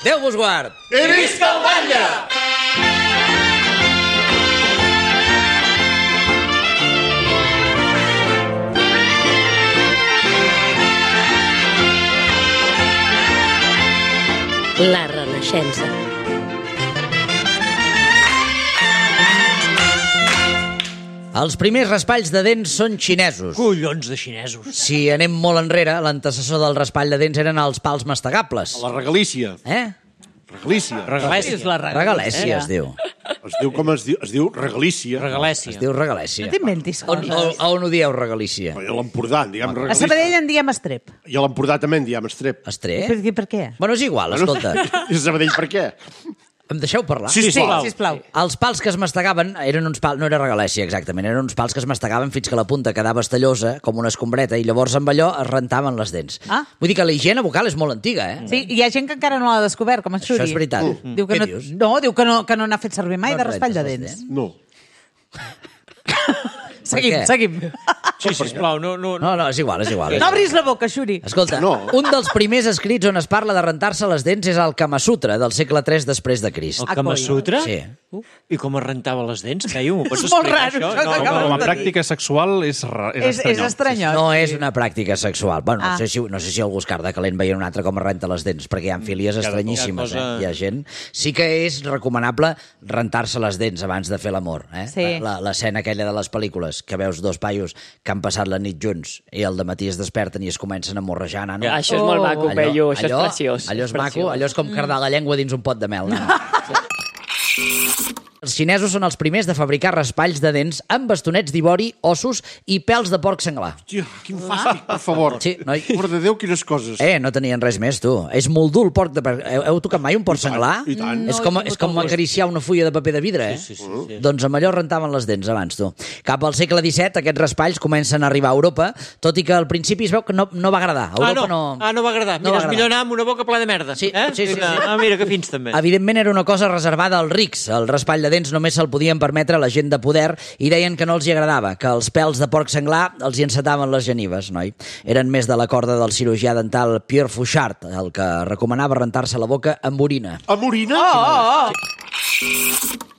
Déu vos guard! I visca el batlle! La Renaixença. Els primers raspalls de dents són xinesos. Collons de xinesos. Si anem molt enrere, l'antecessor del raspall de dents eren els pals mastegables. La regalícia. Regalícia. Regalèsia es diu. Es diu com es diu regalícia. Es diu regalèsia. No t'inventis coses. On ho dieu, regalícia? I a l'Empordà en diem A regalícia. Sabadell en diem estrep. I a l'Empordà també en diem estrep. Estrep? Per què? Bueno, és igual, escolta. I a Sabadell per què? Em deixeu parlar? Sí, sisplau. Els pals que es mastegaven eren uns pals... No era regalèsia, exactament. Eren uns pals que es mastegaven fins que la punta quedava estallosa, com una escombreta, i llavors amb allò es rentaven les dents. Vull dir que la higiene bucal és molt antiga, eh? Sí, hi ha gent que encara no l'ha descobert, com en Xuri. Això és veritat. Diu que Què no, dius? diu que no n'ha fet servir mai de raspall de dents. No. Seguim. Sí, sisplau, no... No, és igual. No obris la boca, Xuri. Escolta, un dels primers escrits on es parla de rentar-se les dents és el Kama Sutra, del segle III després de Crist. El Kama Sutra? Sí. I com es rentava les dents? Caio, m'ho pots És molt explicar, raro, això? això que Com a pràctica sexual és És estranyot. No és una pràctica sexual. Bueno, no sé si algú es carda calent veient un altre com es renta les dents, perquè hi ha filies estranyíssimes. Hi ha gent. Sí que és recomanable rentar-se les dents abans de fer l'amor. Sí. L'escena aquella de les pel·lícules, que veus dos paios que han passat la nit junts i al dematí es desperten i es comencen a morrejar, nano. Això és molt maco, Peyu, això és preciós. Allò és maco, allò és com cardar la llengua dins un pot de mel. Els xinesos són els primers de fabricar raspalls de dents amb bastonets d'ivori, ossos i pèls de porc senglar. Hòstia, quin fàstic, per favor. Sí, noi. Mare de Déu, quines coses. No tenien res més, tu. És molt dur el porc de... Heu tocat mai un porc senglar? I tant. És com acariciar una fulla de paper de vidre, eh? Sí. Doncs amb allò rentaven les dents abans, tu. Cap al segle XVII aquests raspalls comencen a arribar a Europa, tot i que al principi es veu que no va agradar. A Europa no va agradar. Mira, és millor anar amb una boca plena de merda. Sí. Mira, que fins també. Evidentment era una cosa reservada als rics. El raspall de dents només se'l podien permetre la gent de poder i deien que no els hi agradava, que els pèls de porc senglar els hi encetaven les genives, noi. Eren més de la corda del cirurgià dental Pierre Fauchard, el que recomanava rentar-se la boca amb orina. Amb orina?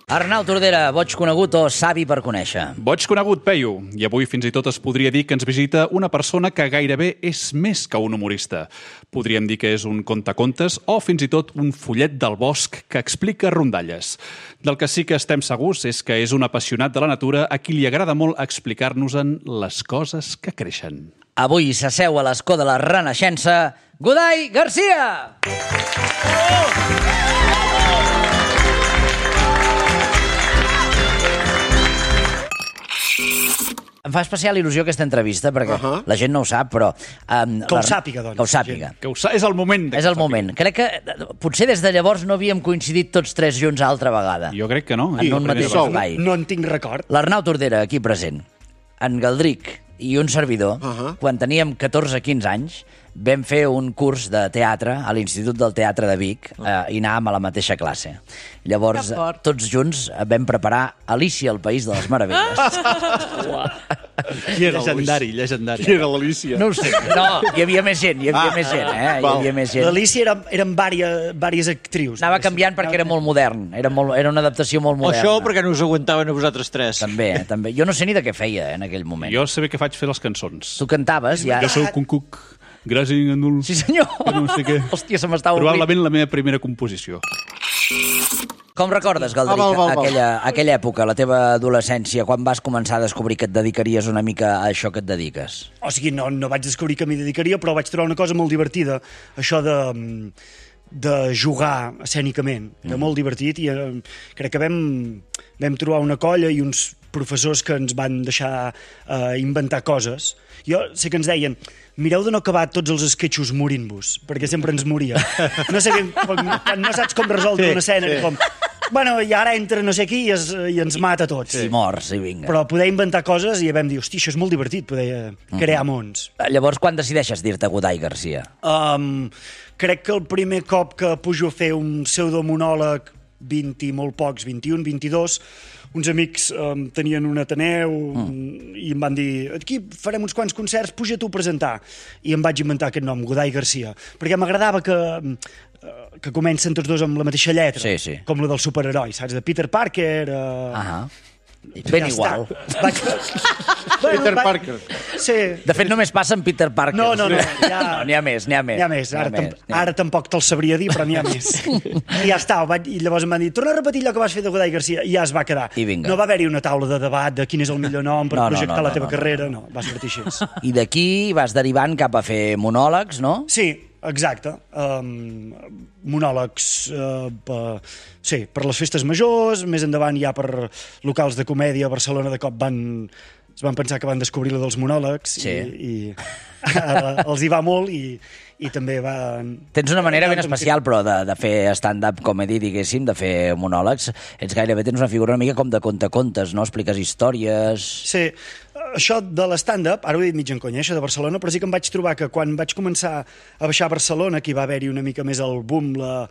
Arnau Tordera, boig conegut o savi per conèixer? Boig conegut, Peyu, i avui fins i tot es podria dir que ens visita una persona que gairebé és més que un humorista. Podríem dir que és un contacontes o fins i tot un follet del bosc que explica rondalles. Del que sí que estem segurs és que és un apassionat de la natura a qui li agrada molt explicar-nos-en les coses que creixen. Avui s'asseu a l'escó de la Renaixença, Godai Garcia! Em fa especial il·lusió aquesta entrevista, perquè la gent no ho sap, però... Que ho sàpiga, doncs. Que ho sàpiga. És el moment. És el moment. Crec que potser des de llavors no havíem coincidit tots tres junts altra vegada. Jo crec que no. En un mateix espai. No en tinc record. L'Arnau Tordera, aquí present, en Galdric i un servidor, quan teníem 14-15 anys, vam fer un curs de teatre a l'Institut del Teatre de Vic i anàvem a la mateixa classe. Llavors, tots junts vam preparar Alícia al País de les Meravelles. Llegendari. Qui era l'Alícia? No ho sé. No, hi havia més gent, hi havia més gent. L'Alícia eren vàries actrius. Anava canviant perquè era molt modern. Era una adaptació molt moderna. Això perquè no us aguantaven a vosaltres tres. També. Jo no sé ni de què feia en aquell moment. Jo sé bé que faig fer les cançons. Tu cantaves ja... Jo soc un cuc, gràcies en un... Sí, senyor! No sé què. Hòstia, se m'estava oblint. Probablement la meva primera composició. Com recordes, Galdric, aquella època, la teva adolescència, quan vas començar a descobrir que et dedicaries una mica a això que et dediques? O sigui, no vaig descobrir que m'hi dedicaria, però vaig trobar una cosa molt divertida, això de jugar escènicament. Era molt divertit i crec que vam trobar una colla i uns professors que ens van deixar inventar coses. Jo sé que ens deien, mireu de no acabar tots els esquetxos morint-vos, perquè sempre ens moria. No sé, quan no saps com resoldre una escena, com... Bueno, i ara entra no sé qui i ens mata a tots. I morts, i vinga. Però poder inventar coses i vam dir, hosti, això és molt divertit, poder crear mons. Llavors, quan decideixes dir-te Godai Garcia? Crec que el primer cop que pujo a fer un pseudomonòleg 20 i molt pocs, 21, 22, uns amics tenien un Ateneu i em van dir, aquí farem uns quants concerts, puja tu a presentar. I em vaig inventar aquest nom, Godai Garcia, perquè m'agradava que comencen tots dos amb la mateixa lletra, com la del superheroi, saps? De Peter Parker... Ben igual. Peter Parker. Sí. De fet, només passa amb Peter Parker. No, n'hi ha més. Ara tampoc te'l sabria dir, però n'hi ha més. I ja està, i llavors em van dir, torna a repetir allò que vas fer de Godai Garcia, i ja es va quedar. No va haver-hi una taula de debat de quin és el millor nom per projectar la teva carrera, no, va sortir així. I d'aquí vas derivant cap a fer monòlegs, no? Sí, exacte. Monòlegs per les festes majors, més endavant ja per locals de comèdia a Barcelona de cop es van pensar que van descobrir la dels monòlegs i ara els hi va molt i també va... Tens una manera ben especial, però, de fer stand-up comedy, diguéssim, de fer monòlegs. Tens una figura una mica com de contacontes, no? Expliques històries... Sí, això de l'stand-up, ara ho he dit mig en conya, això de Barcelona, però sí que em vaig trobar que quan vaig començar a baixar a Barcelona, que hi va haver-hi una mica més el boom, la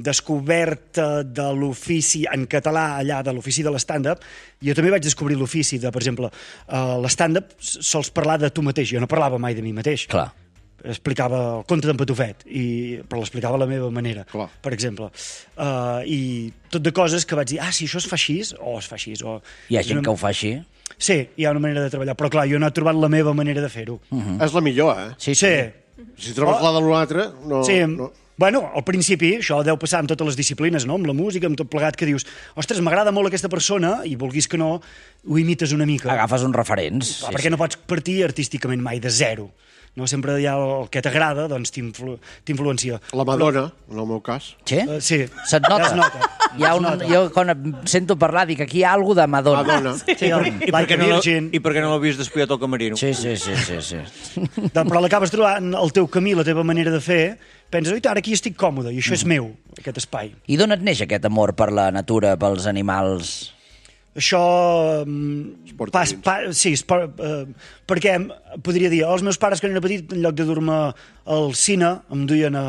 descoberta de l'ofici en català allà, de l'ofici de l'stand-up, jo també vaig descobrir l'ofici de, per exemple, l'stand-up sols parlar de tu mateix, jo no parlava mai de mi mateix. Clar. Explicava el conte d'en Patufet, però l'explicava a la meva manera, per exemple. I tot de coses que vaig dir, si això es fa així, o es fa així. Hi ha gent que ho fa així? Sí, hi ha una manera de treballar, però clar, jo no he trobat la meva manera de fer-ho. És la millor, eh? Sí. Si trobes la de l'altre, no... Sí, bueno, al principi, això deu passar amb totes les disciplines, no? Amb la música, amb tot plegat, que dius, ostres, m'agrada molt aquesta persona, i vulguis que no, ho imites una mica. Agafes uns referents. Perquè no pots partir artísticament mai de zero. No? Sempre hi ha el que t'agrada, doncs t'influencia. La Madonna, en el meu cas. Sí? Sí. Se't nota? Ja es nota. Jo, quan sento parlar, dic, aquí hi ha alguna de Madonna. Sí, I per què no l'havies despullat al camerino? Sí. Però l'acabes trobant el teu camí, la teva manera de fer, penses, oi, ara aquí estic còmode, i això és meu, aquest espai. I d'on et neix aquest amor per la natura, pels animals? Això... perquè podria dir, els meus pares, quan era petit, en lloc de dur-me al cine, em duien a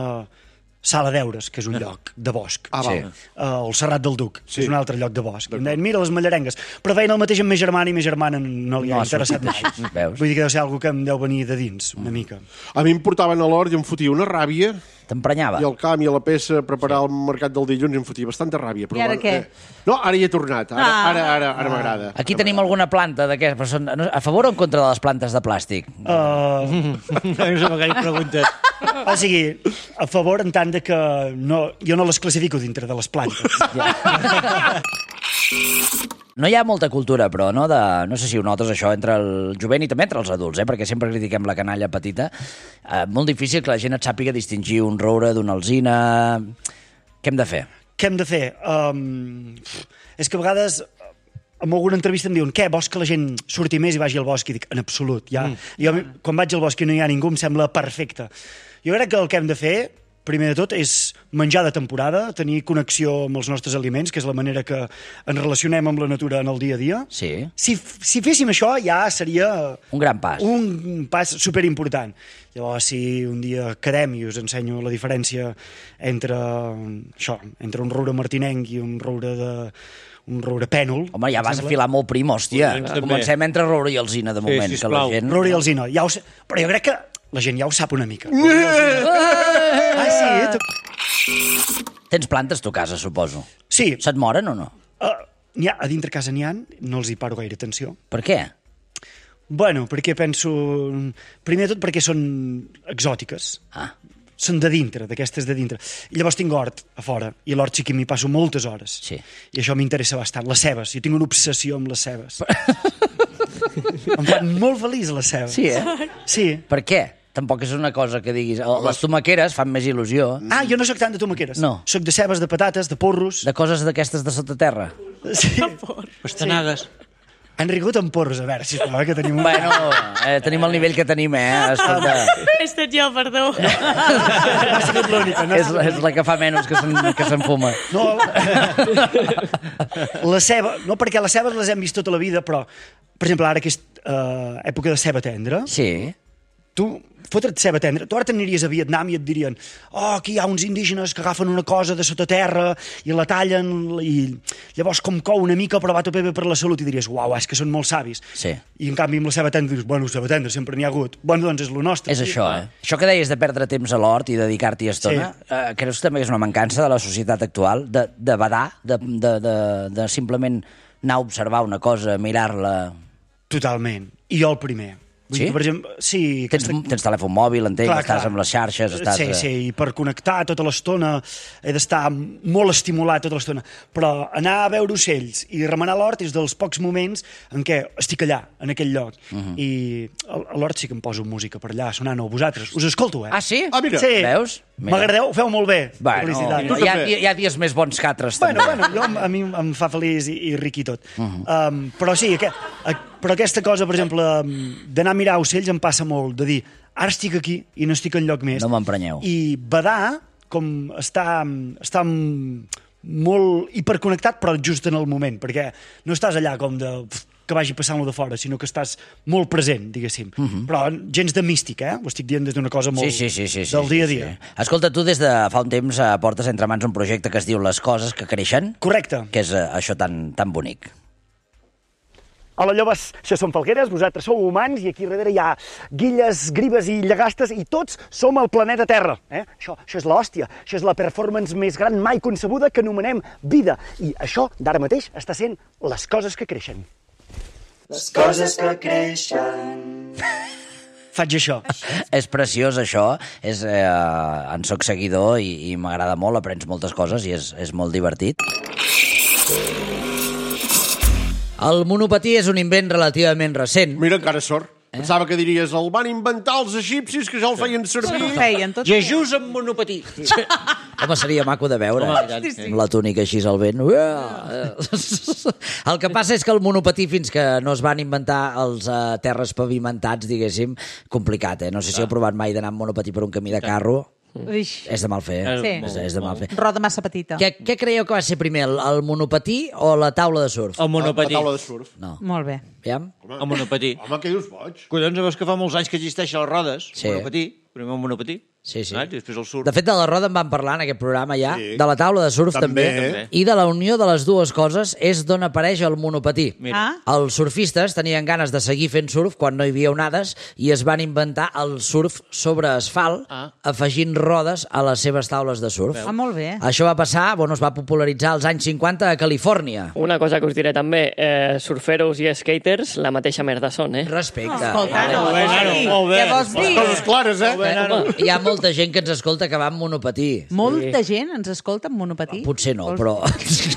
Sala d'Eures, que és un lloc de bosc. El Serrat del Duc, que és un altre lloc de bosc. I em deien, mira les mallarengues. Però feien el mateix amb ma germana, i ma germana no li ha interessat mai. Vull dir que deu ser alguna que em deu venir de dins, una mica. A mi em portaven a l'hort i em fotia una ràbia. T'emprenyava? I al camp i a la peça, preparar el mercat del dilluns, em fotia bastanta ràbia. I ara què? No, ara hi he tornat. Ara m'agrada. Aquí tenim alguna planta d'aquestes. A favor o en contra de les plantes de plàstic? No sé què preguntes. O sigui, a favor en tant que jo no les classifico dintre de les plantes. No hi ha molta cultura, però, no? No sé si ho notes, això, entre el jovent i també entre els adults, perquè sempre critiquem la canalla petita. Molt difícil que la gent et sàpiga distingir un roure d'una alzina. Què hem de fer? Què hem de fer? És que a vegades en alguna entrevista em diuen, què, vols que la gent surti més i vagi al bosc? I dic, en absolut. Jo, quan vaig al bosc i no hi ha ningú, em sembla perfecte. Jo crec que el que hem de fer, primer de tot, és menjar de temporada, tenir connexió amb els nostres aliments, que és la manera que ens relacionem amb la natura en el dia a dia. Sí. Si féssim això, ja seria... Un gran pas. Un pas superimportant. Llavors, si un dia quedem i us ensenyo la diferència entre un roure martinenc i un roure pènol... Home, ja vas afilar molt prim, hòstia. Comencem entre roure i alzina, de moment. Sí, sisplau. Roure i alzina. Però jo crec que la gent ja ho sap una mica. Sí? Tens plantes tu a casa, suposo. Sí. Se't moren o no? A dintre casa n'hi ha, no els hi paro gaire atenció. Per què? Bueno, perquè penso... Primer de tot perquè són exòtiques. Són de dintre, d'aquestes de dintre. I llavors tinc hort a fora, i a l'hort sí que m'hi passo moltes hores. Sí. I això m'interessa bastant. Les cebes, jo tinc una obsessió amb les cebes. Em fan molt feliç les cebes. Sí, eh? Sí. Per què? Tampoc és una cosa que diguis... Les tomaqueres fan més il·lusió. Jo no soc tant de tomaqueres. No. Soc de cebes, de patates, de porros. De coses d'aquestes de sota terra. Sí. Pastanagues. Han rigut amb porros, a veure, sisplau, que tenim... Bueno, tenim el nivell que tenim, Escolta. He estat jo, perdó. Ha sigut l'única. És la que fa menys que s'enfuma. No, la ceba... No, perquè les cebes les hem vist tota la vida, però, per exemple, ara que és època de ceba tendra... Sí. Tu fotre't ceba tendra. Tu ara t'aniries a Vietnam i et dirien aquí hi ha uns indígenes que agafen una cosa de sota terra i la tallen i llavors com cou una mica però va tot bé per la salut i diries, uau, és que són molt savis. Sí. I en canvi amb la ceba tendra dius, bueno, ceba tendra sempre n'hi ha hagut. Bueno, doncs és lo nostre. És això, Això que deies de perdre temps a l'hort i dedicar-t'hi estona, creus que també és una mancança de la societat actual, de badar, de simplement anar a observar una cosa, mirar-la... Totalment. I jo el primer. Sí? Per exemple, sí. Tens telèfon mòbil, entenc, estàs amb les xarxes, estàs... Sí, i per connectar tota l'estona he d'estar molt estimulat tota l'estona. Però anar a veure ocells i remenar l'hort és dels pocs moments en què estic allà, en aquell lloc. I a l'hort sí que em poso música per allà, sonant-ho a vosaltres. Us escolto, Ah, sí? Ah, mira. Sí. Veus? M'agradeu? Ho feu molt bé. Bueno, felicitats. hi ha dies més bons que altres, també. A mi em fa feliç i ric i tot. Però sí, però aquesta cosa, per exemple, d'anar a mirar ocells em passa molt, de dir, ara estic aquí i no estic enlloc més. No m'emprenyeu. I badar, com està molt hiperconnectat, però just en el moment, perquè no estàs allà com que vagi passant-lo de fora, sinó que estàs molt present, diguéssim. Però gens de místic, Ho estic dient des d'una cosa molt del dia a dia. Escolta, tu des de fa un temps portes entre mans un projecte que es diu Les coses que creixen. Correcte. Que és això tan bonic. Hola, joves, això són falgueres, vosaltres sou humans i aquí darrere hi ha guilles, gribes i llagastes i tots som el planeta Terra. Això és l'hòstia, això és la performance més gran mai concebuda que anomenem vida. I això, d'ara mateix, està sent les coses que creixen. Les coses que creixen... Faig això. És preciós, això. En soc seguidor i m'agrada molt, aprens moltes coses i és molt divertit. El monopatí és un invent relativament recent. Mira, encara sort. Pensava que diries, el van inventar els egipcis, que ja el feien servir. Ho feien tot. Jesús amb monopatí. Home, seria maco de veure. Amb la túnica així al vent. El que passa és que el monopatí, fins que no es van inventar els terres pavimentats, diguéssim, complicat, No sé si heu provat mai d'anar amb monopatí per un camí de carro. És de mal fer. Sí. És de mal fer. Roda massa petita. Què creieu que va ser primer, el monopatí o la taula de surf? El monopatí. La taula de surf. No. Molt bé. Aviam? El monopatí. Home, què dius, boig? Collons, veus que fa molts anys que existeixen les rodes. Sí. Monopatí. Primer el monopatí. Sí. I després el surf. De fet, de la roda en vam parlar en aquest programa ja, de la taula de surf també, i de la unió de les dues coses és d'on apareix el monopatí. Els surfistes tenien ganes de seguir fent surf quan no hi havia onades i es van inventar el surf sobre asfalt afegint rodes a les seves taules de surf. Molt bé. Això va passar, es va popularitzar als anys 50 a Califòrnia. Una cosa que us diré també, surferos i skaters, la mateixa merda són, Respecte. Escolta, Molt bé. Què vols dir? Coses clares, Hi ha molta gent que ens escolta que va amb monopatí. Molta gent ens escolta amb monopatí? Potser no, però...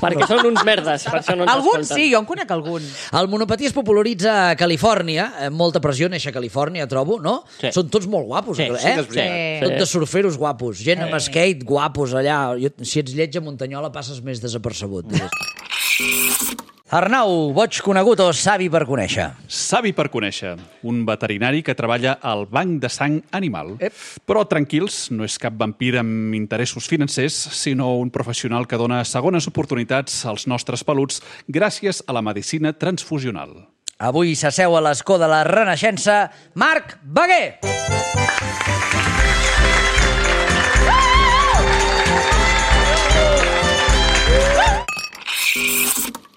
Perquè són uns merdes, per això no ens Alguns escolten. sí, jo en conec algun. El monopatí es popularitza a Califòrnia, molta pressió néixer a Califòrnia, trobo, no? Sí. Són tots molt guapos, Sí, eh? sí. Tot de surferos guapos, gent amb skate guapos allà. Si ets lleig a Muntanyola passes més desapercebut. Arnau, boig conegut o savi per conèixer? Savi per conèixer, un veterinari que treballa al banc de sang animal. Però tranquils, no és cap vampir amb interessos financers, sinó un professional que dona segones oportunitats als nostres peluts gràcies a la medicina transfusional. Avui s'asseu a l'escó de la Renaixença, Marc Baguer!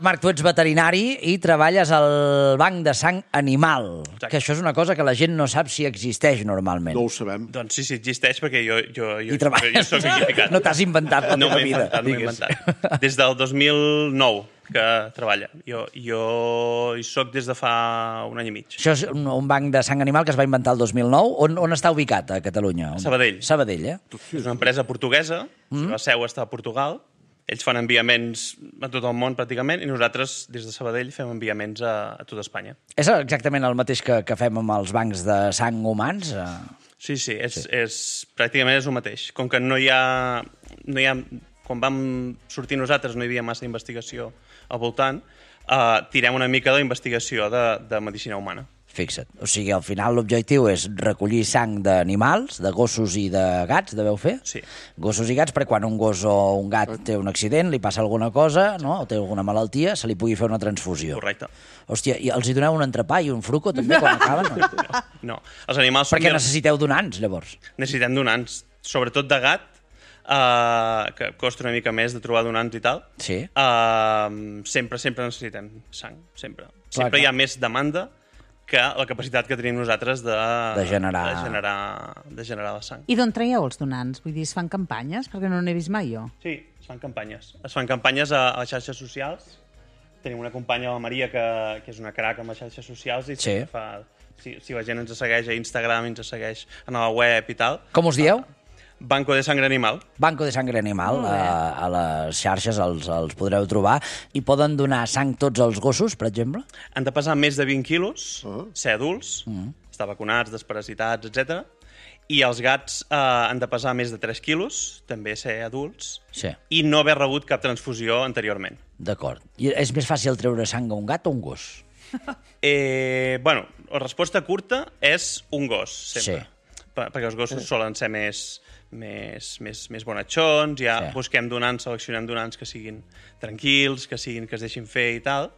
Marc, tu ets veterinari i treballes al banc de sang animal. Exacte. Que això és una cosa que la gent no sap si existeix normalment. No ho sabem. Doncs sí, existeix perquè jo treballes. soc equipicat. No t'has inventat la No teva m'he vida. inventat, no m'he inventat. Des del 2009 que treballa. Jo hi soc des de fa un any i mig. Això és un banc de sang animal que es va inventar el 2009. On està ubicat a Catalunya? Sabadell. Sabadell, És una empresa portuguesa, la seu està a Portugal. Ells fan enviaments a tot el món, pràcticament, i nosaltres, des de Sabadell, fem enviaments a tota Espanya. És exactament el mateix que fem amb els bancs de sang humans? Sí, pràcticament és el mateix. Com que no hi ha... Quan vam sortir nosaltres no hi havia massa investigació al voltant, tirem una mica de investigació de medicina humana. Fixa't. O sigui, al final l'objectiu és recollir sang d'animals, de gossos i de gats, deveu fer? Sí. Gossos i gats, perquè quan un gos o un gat té un accident, li passa alguna cosa, no? O té alguna malaltia, se li pugui fer una transfusió. Correcte. Hòstia, i els hi doneu un entrepà i un fruco també quan acaben? No? No, els animals... Perquè necessiteu donants, llavors. Necessitem donants, sobretot de gat, que costa una mica més de trobar donants i tal. Sí. Sempre necessitem sang, sempre. Clar, Sempre hi clar. ha més demanda que la capacitat que tenim nosaltres de generar la sang. I d'on traieu els donants? Vull dir, es fan campanyes? Perquè no n'he vist mai, jo. Sí, es fan campanyes. Es fan campanyes a les xarxes socials. Tenim una companya, la Maria, que és una crac amb les xarxes socials i Sí. si la gent ens segueix a Instagram, ens segueix a la web i tal. Com us dieu? Banco de Sangre Animal. Banco de Sangre Animal, a les xarxes els podreu trobar. I poden donar sang tots els gossos, per exemple? Han de pesar més de 20 quilos, ser adults, estar vacunats, desparasitats, etc. I els gats han de pesar més de 3 quilos, també ser adults, Sí. i no haver rebut cap transfusió anteriorment. D'acord. I és més fàcil treure sang a un gat o un gos? Bueno, la resposta curta és un gos, sempre. Sí. Perquè els gossos solen ser més bonatxons, ja Sí. busquem donants, seleccionem donants que siguin tranquils, que es deixin fer i tal.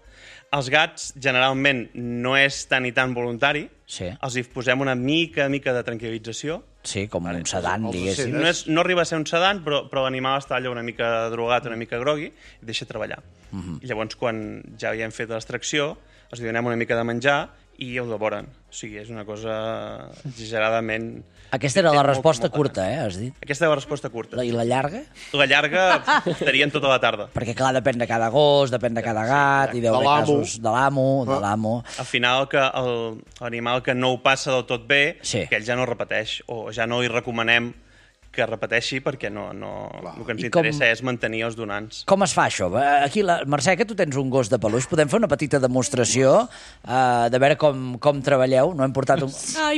Els gats, generalment, no és tan i tan voluntari. Sí. Els hi posem una mica de tranquil·lització. Sí, com un sedant, diguéssim. No arriba a ser un sedant, però l'animal està allò una mica drogat, una mica grogui, i deixa treballar. I llavors, quan ja hi hem fet l'extracció, els donem una mica de menjar i ho devoren. O sigui, és una cosa exageradament... Aquesta era la Molt resposta còmoda. curta, has dit? Aquesta és la resposta curta. I la llarga? La llarga estarien tota la tarda. Perquè, clar, depèn de cada gos, depèn de cada gat, i deu haver casos de l'amo. Al final, que l'animal que no ho passa del tot bé, Sí. que ell ja no repeteix, o ja no li recomanem que repeteixi perquè el que ens I com- interessa és mantenir els donants. Com es fa això? Aquí, Mercè, que tu tens un gos de peluix, podem fer una petita demostració de veure com treballeu? No hem portat un...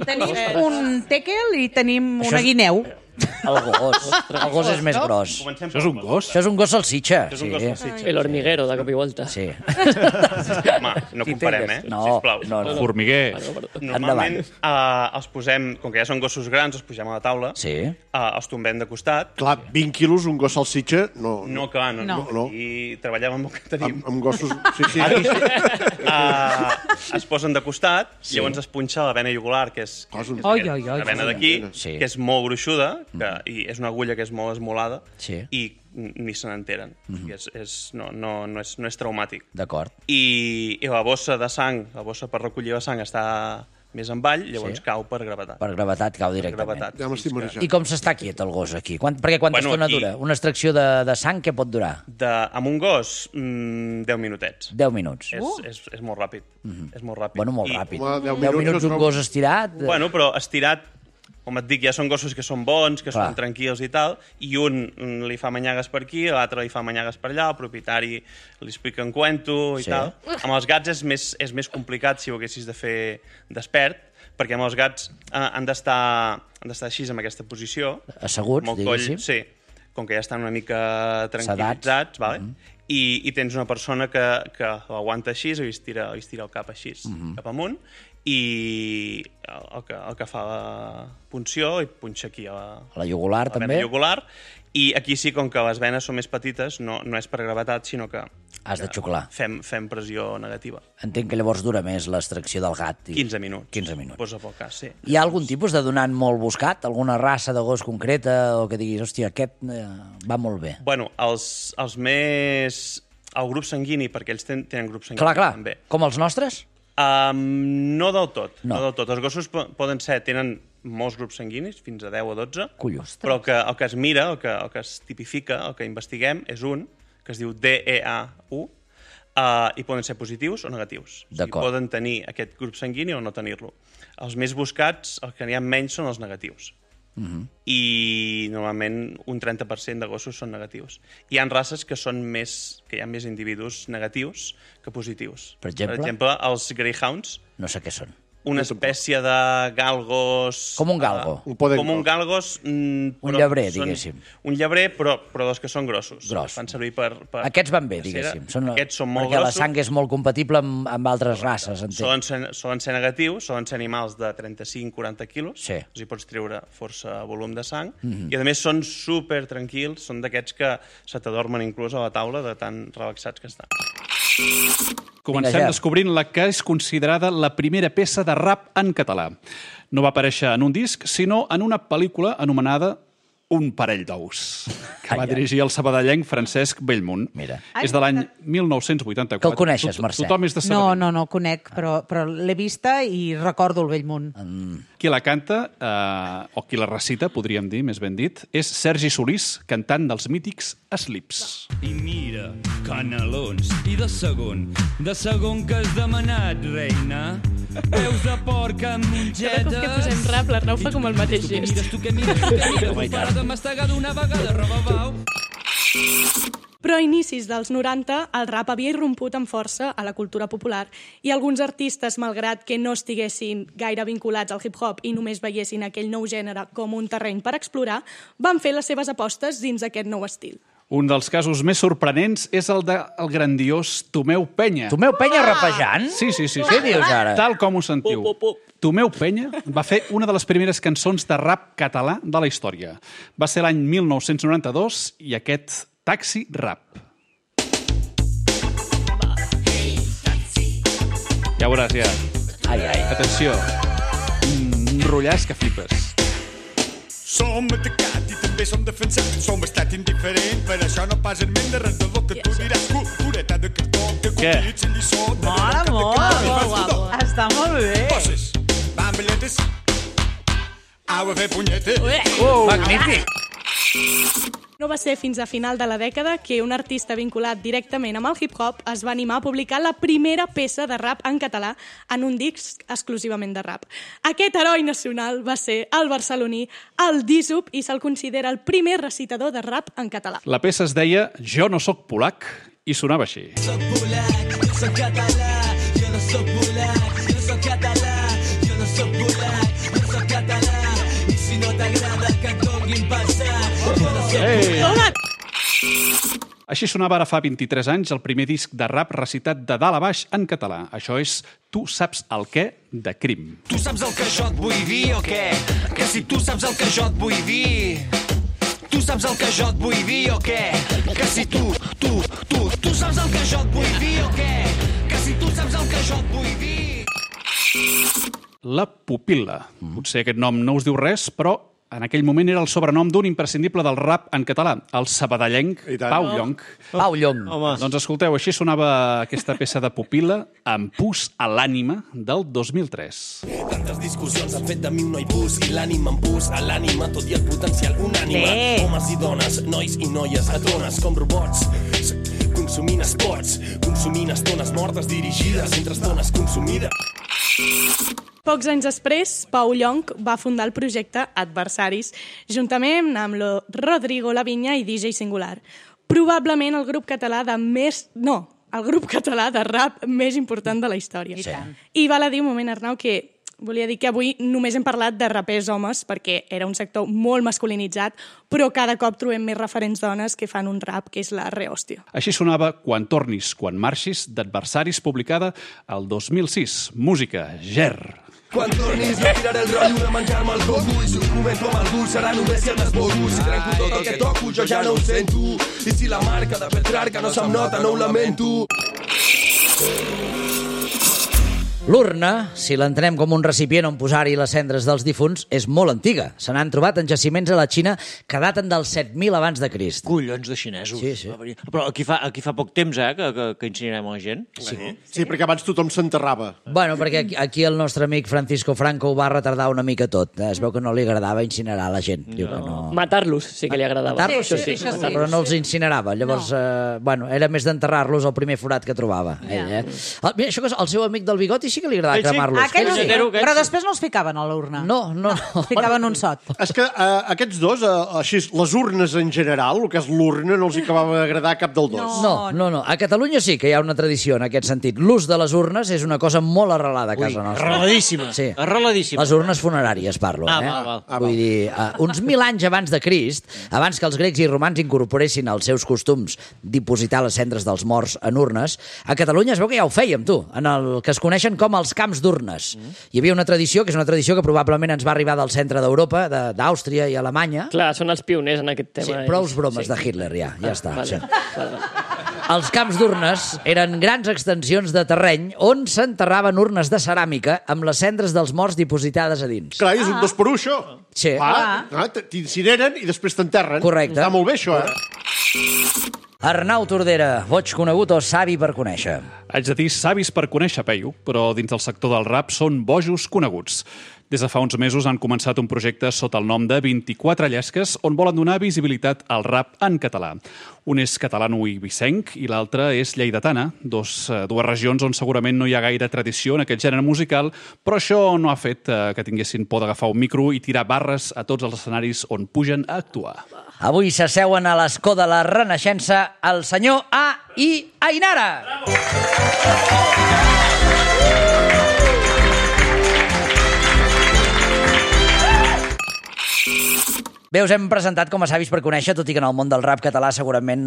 Tenim un tèquel i tenim Això una és- guineu. El gos és més gros. Comencem Això és un gos? Això és un gos salsitxa. És un gos salsitxa. El hormiguero, de cop i volta. Sí. Home, no Qui comparem, tens? eh? No, Sisplau. no. Formiguer. Normalment els posem, com que ja són gossos grans, els posem a la taula, Sí. els tombem de costat. Clar, 20 quilos, un gos salsitxa, no. No, clar, no. No. I treballem amb el que tenim. Amb gossos... Sí, sí. Es posen de costat, llavors es punxa la vena jugular, que és Oi, oi, oi. la vena d'aquí, Sí. que és molt gruixuda, i és una agulla que és molt esmolada, Sí. i ni se n'enteren. No és traumàtic. D'acord. I la bossa de sang, la bossa per recollir la sang està més avall, llavors Sí. cau per gravetat. Per gravetat cau directament. Gravetat. Ja m'estic marejant. I com s'està quiet el gos aquí? Perquè quanta Bueno, estona aquí- dura? Una extracció de sang què pot durar? Amb un gos, 10 minutets. 10 minuts. És molt ràpid. És molt ràpid. Bueno, molt I- ràpid. Home, 10 10 minuts no un trobo- gos estirat... Bueno, però estirat, com et dic, ja són gossos que són bons, que Clar. són tranquils i tal, i un li fa manyagues per aquí, l'altre li fa manyagues per allà, el propietari li explica un cuento i Sí. tal. Amb els gats és més complicat si ho haguessis de fer despert, perquè amb els gats han d'estar així, en aquesta posició. Asseguts, amb el coll, diguéssim. sí, com que ja estan una mica tranquil·litzats, vale? I tens una persona que l'aguanta així, o li estira el cap així, cap amunt, i el que fa la punció i punxa aquí a La jugular, la també? vena jugular, i aquí sí, com que les venes són més petites, no és per gravetat, sinó que Has de xuclar. fem pressió negativa. Entenc que llavors dura més l'extracció del gat. 15 minuts. 15 minuts. Posa pel cas, sí. Hi ha algun tipus de donant molt buscat? Alguna raça de gos concreta? O que diguis, hòstia, aquest va molt bé. Bueno, els més... El grup sanguini, perquè ells tenen grup sanguini Clar. també. Com els nostres? No del tot. No. No del tot. Els gossos tenen molts grups sanguinis, fins a 10 o 12, Collons. però el que es mira, el que es tipifica, el que investiguem, és un que es diu DEAU, i poden ser positius o negatius. O sigui, D'acord. poden tenir aquest grup sanguini o no tenir-lo. Els més buscats, els que n'hi ha menys, són els negatius. I normalment un 30% de gossos són negatius. Hi ha races que hi ha més individus negatius que positius. Per exemple? Els Greyhounds No sé què són. una espècie de galgos... Com un galgo. Com un galgos... Un llebrer, diguéssim. Un llebrer, però dos que són grossos. Gros. Fan servir per Aquests van bé, diguéssim. Aquests són molt perquè grossos. La sang és molt compatible amb altres races, entenc. Solen ser negatius, solen ser animals de 35-40 quilos, sí. Hi pots treure força volum de sang, i a més són super tranquils, són d'aquests que se t'adormen inclús a la taula de tan relaxats que estan. Comencem descobrint la que és considerada la primera peça de rap en català. No va aparèixer en un disc, sinó en una pel·lícula anomenada Un parell d'ous, que va dirigir el sabadellenc Francesc Bellmunt. Mira. És de l'any 1984. Que el coneixes, Mercè? Tothom és de Sabadell. No, el conec, però l'he vista i recordo el Bellmunt. Qui la canta, o qui la recita, podríem dir, més ben dit, és Sergi Solís, cantant dels mítics Slips. I mira, canelons, i de segon que has demanat, reina. Peus de porc amb mongetes. Cada cop que posem rap, l'Arnau fa com el mateix gest. Tu que mires, para de mastegar d'una vegada, roba bau. Però a inicis dels 90 el rap havia irromput amb força a la cultura popular i alguns artistes, malgrat que no estiguessin gaire vinculats al hip-hop i només veiessin aquell nou gènere com un terreny per explorar, van fer les seves apostes dins aquest nou estil. Un dels casos més sorprenents és el del grandiós Tomeu Penya. Tomeu Penya rapejant? Sí. Què dius ara? Tal com ho sentiu. Tomeu Penya va fer una de les primeres cançons de rap català de la història. Va ser l'any 1992 i aquest Taxi Rap. Ja veuràs, ja. Ai. Atenció. Un rotllàs que flipes. Som atacat i també som defensat. Som estat indiferent, per això no pas en ment de res del que tu diràs. Cultureta de cartó, que complit sin lliçó. Mola molt. Està molt bé. Poses, bambeletes, au a fer punyetes. Magnífic. No va ser fins a final de la dècada que un artista vinculat directament amb el hip-hop es va animar a publicar la primera peça de rap en català en un disc exclusivament de rap. Aquest heroi nacional va ser el barceloní, el Dísup, i se'l considera el primer recitador de rap en català. La peça es deia Jo no soc polac i sonava així. Soc polac, jo soc català, jo no soc polac, jo soc català, jo no soc polac, jo soc català, i si no t'agrada que et donin passar, jo no soc polac. Així sonava ara fa 23 anys el primer disc de rap recitat de dalt a baix en català. Això és Tu saps el què de Crim. Tu saps el que jo et vull dir o què? Que si tu saps el que jo et vull dir... Tu saps el que jo et vull dir o què? Que si tu saps el que jo et vull dir o què? Que si tu saps el que jo et vull dir... La Pupil·la. Potser aquest nom no us diu res, però en aquell moment era el sobrenom d'un imprescindible del rap en català, el sabadellenc Pau Llonch. Pau Llonch. Doncs escolteu, així sonava aquesta peça de Pupil·la amb Pus a l'ànima del 2003. Tantes discussions han fet de mi un noi pus i l'ànima amb pus a l'ànima, tot i el potencial unànime. Homes i dones, nois i noies, atones com robots, consumint esports, consumint estones mortes dirigides entre estones consumides. Pocs anys després, Pau Llonch va fundar el projecte Adversaris, juntament amb Rodrigo Lavinya i DJ Singular. Probablement el grup català el grup català de rap més important de la història. I val a dir un moment, Arnau, que volia dir que avui només hem parlat de rapers homes perquè era un sector molt masculinitzat, però cada cop trobem més referents dones que fan un rap que és la rehòstia. Així sonava Quan tornis, quan marxis, d'Adversaris, publicada el 2006. Música, Ger. Quan tornis no tiraré el rotllo de menjar-me el coco i si ho comento amb algú serà només si el desborro. Si trenco tot el que toco jo ja no ho sento i si la marca de Petrarca no se'm nota no ho lamento. L'urna, si l'entenem com un recipient on posar-hi les cendres dels difunts, és molt antiga. Se n'han trobat en jaciments a la Xina que daten dels 7.000 abans de Crist. Collons de xinesos. Sí. Però aquí fa poc temps, que incinerem la gent. Sí, perquè abans tothom s'enterrava. Bueno, perquè aquí el nostre amic Francisco Franco ho va retardar una mica tot. Es veu que no li agradava incinerar la gent. Diu que no. Matar-los sí que li agradava. Matar-los, sí, però no els incinerava. Llavors, era més d'enterrar-los al primer forat que trobava. Ell, Mira, això que el seu amic del bigoti sí sí que li agradava cremar-los. Aquells sí, Aquests. però després no els ficaven a l'urna. No. Els ficaven un sot. És que aquests dos, així, les urnes en general, el que és l'urna, no els hi acabava d'agradar cap dels dos. No. A Catalunya sí que hi ha una tradició en aquest sentit. L'ús de les urnes és una cosa molt arrelada a casa nostra. Arreladíssima. Sí. Arreladíssima. Les urnes funeràries, parlo. Val. Vull dir, uns 1.000 anys abans de Crist, abans que els grecs i romans incorporessin als seus costums dipositar les cendres dels morts en urnes, a Catalunya es veu que ja ho fèiem, tu, en el que es coneixen com els camps d'urnes. Hi havia una tradició, que és una tradició que probablement ens va arribar del centre d'Europa, d'Àustria i Alemanya. Clar, són els pioners en aquest tema. Sí, prou bromes de Hitler, ja està. Vale. Sí. Els camps d'urnes eren grans extensions de terreny on s'enterraven urnes de ceràmica amb les cendres dels morts dipositades a dins. Clar, és un 2 per 1, això. Sí. T'incineren i després t'enterren. Correcte. Està molt bé, això, Arnau Tordera, boig conegut o savi per conèixer? Haig de dir savis per conèixer, Peyu, però dins del sector del rap són bojos coneguts. Des de fa uns mesos han començat un projecte sota el nom de 24 llesques on volen donar visibilitat al rap en català. Un és catalano-ibicenc i l'altre és lleidatana, dues regions on segurament no hi ha gaire tradició en aquest gènere musical, però això no ha fet que tinguessin por d'agafar un micro i tirar barres a tots els escenaris on pugen a actuar. Avui s'asseuen a l'escó de la Renaixença el senyor A i Ainara. Bé, us hem presentat com a savis per conèixer, tot i que en el món del rap català segurament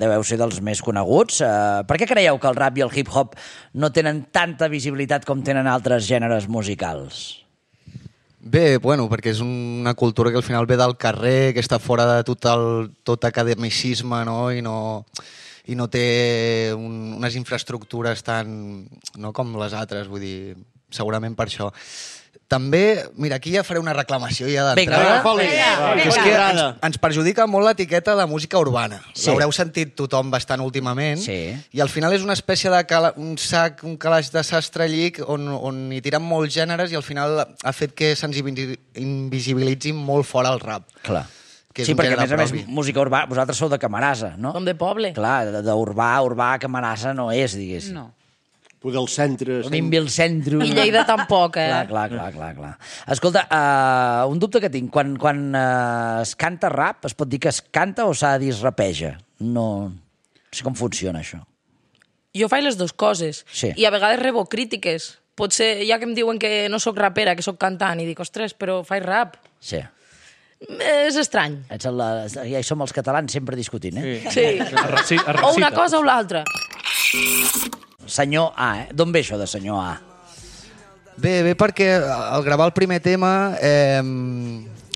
deveu ser dels més coneguts. Per què creieu que el rap i el hip-hop no tenen tanta visibilitat com tenen altres gèneres musicals? Bé, bueno, perquè és una cultura que al final ve del carrer, que està fora de tot academicisme, no? I no té unes infraestructures tan com les altres, vull dir, segurament per això. També, mira, aquí ja faré una reclamació ja d'entrada. Vinga. És que ens perjudica molt l'etiqueta de música urbana. Sí. L'haureu sentit tothom bastant últimament. Sí. I al final és una espècie de un calaix de sastre llic on hi tiren molts gèneres i al final ha fet que se'ns invisibilitzin molt fora el rap. Clar. Sí, perquè a més música urbana, vosaltres sou de Camarasa, no? Som de poble. Clar, d'urbà, Camarasa no és, diguéssim. No. Poder el centre... Vimbi el centre... I Lleida tampoc, Clar. Escolta, un dubte que tinc. Quan es canta rap, es pot dir que es canta o s'ha de dir es rapeja? No sé com funciona, això. Jo faig les dues coses. Sí. I a vegades rebo crítiques. Potser, ja que em diuen que no sóc rapera, que sóc cantant, i dic, ostres, però faig rap. Sí. És estrany. Ja hi som els catalans sempre discutint, eh? Sí. O una cosa o l'altra. Senyor A, D'on ve això de senyor A? Bé, perquè al gravar el primer tema,